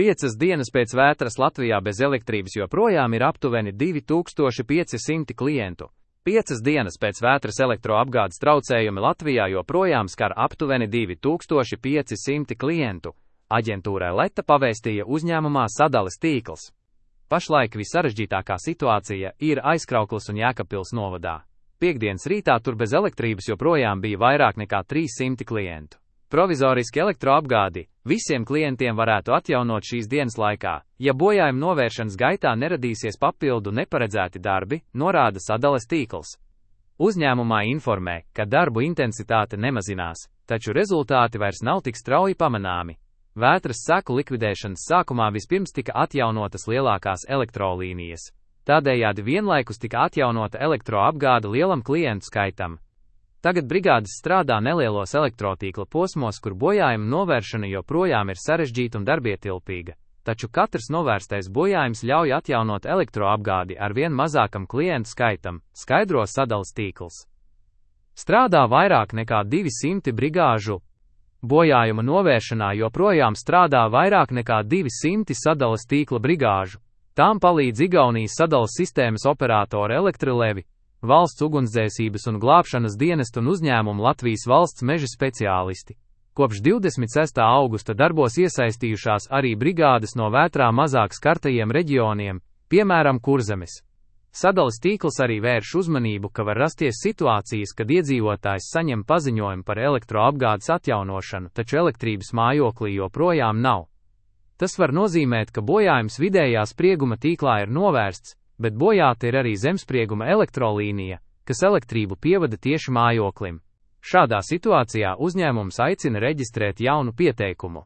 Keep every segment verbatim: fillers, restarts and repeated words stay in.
Piecas dienas pēc vētras Latvijā bez elektrības joprojām ir aptuveni divi tūkstoši pieci simti klientu. Piecas dienas pēc vētras elektroapgādes traucējumi Latvijā joprojām skar aptuveni divi tūkstoši pieci simti klientu. Aģentūrai Leta pavēstīja uzņēmumā Sadales tīkls. Pašlaik visarežģītākā situācija ir Aizkraukles un Jēkabpils novadā. Piektdienas rītā tur bez elektrības joprojām bija vairāk nekā trīs simti klientu. Provizoriski elektroapgādi visiem klientiem varētu atjaunot šīs dienas laikā, ja bojājuma novēršanas gaitā neradīsies papildu neparedzēti darbi, norāda Sadales tīkls. Uzņēmumā informē, ka darbu intensitāte nemazinās, taču rezultāti vairs nav tik strauji pamanāmi. Vētras seku likvidēšanas sākumā vispirms tika atjaunotas lielākās elektrolīnijas. Tādējādi vienlaikus tika atjaunota elektroapgāde lielam klientu skaitam. Tagad brigādes strādā nelielos elektrotīkla posmos, kur bojājuma novēršana joprojām ir sarežģīta un darbietilpīga, taču katrs novērstais bojājums ļauj atjaunot elektroapgādi ar vien mazākam klientu skaitam, skaidro Sadales tīkls. Strādā vairāk nekā divi simti brigāžu. Bojājuma novēršanā joprojām strādā vairāk nekā divi simti Sadales tīkla brigāžu. Tām palīdz Igaunijas sadales sistēmas operatori Elektrilevi, Valsts ugunsdzēsības un glābšanas dienestu un uzņēmumu Latvijas valsts meža speciālisti. Kopš divdesmit sestā augusta darbos iesaistījušās arī brigādes no vētrā mazāk skartajiem reģioniem, piemēram Kurzemes. Sadales tīkls arī vērš uzmanību, ka var rasties situācijas, kad iedzīvotājs saņem paziņojumu par elektroapgādes atjaunošanu, taču elektrības mājoklī joprojām nav. Tas var nozīmēt, ka bojājums vidējā sprieguma tīklā ir novērsts, bet bojāta ir arī zemsprieguma elektrolīnija, kas elektrību pievada tieši mājoklim. Šādā situācijā uzņēmums aicina reģistrēt jaunu pieteikumu.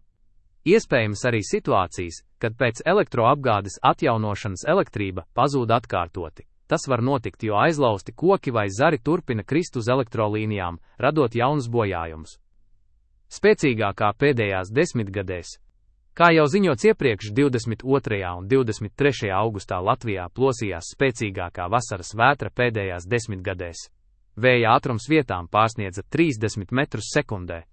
Iespējams arī situācijas, kad pēc elektroapgādes atjaunošanas elektrība pazūd atkārtoti. Tas var notikt, jo aizlausti koki vai zari turpina krist uz elektrolīnijām, radot jaunus bojājumus. Spēcīgākā pēdējās desmitgadēs. Kā jau ziņots iepriekš, divdesmit otrajā un divdesmit trešajā augustā Latvijā plosījās spēcīgākā vasaras vētra pēdējās desmitgadēs. Vēja ātrums vietām pārsniedza trīsdesmit metrus sekundē.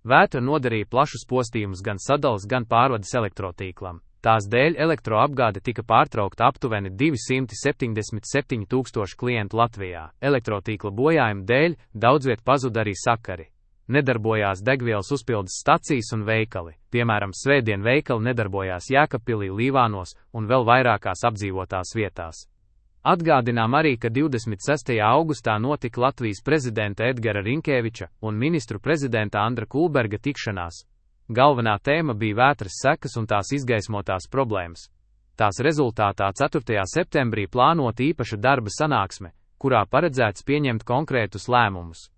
Vētra nodarīja plašus postījumus gan sadales, gan pārvades elektrotīklam. Tās dēļ elektroapgāde tika pārtraukta aptuveni divi simti septiņdesmit septiņi tūkstoši klientu Latvijā. Elektrotīkla bojājuma dēļ daudzviet pazuda arī sakari. Nedarbojās degvielas uzpildes stacijas un veikali, piemēram, svētdien veikali nedarbojās Jēkabpilī, Līvānos un vēl vairākās apdzīvotās vietās. Atgādinām arī, ka divdesmit sestajā augustā notika Latvijas prezidenta Edgara Rinkēviča un ministru prezidenta Andra Kulberga tikšanās. Galvenā tēma bija vētras sekas un tās izgaismotās problēmas. Tās rezultātā ceturtajā septembrī plānota īpaša darba sanāksme, kurā paredzēts pieņemt konkrētus lēmumus.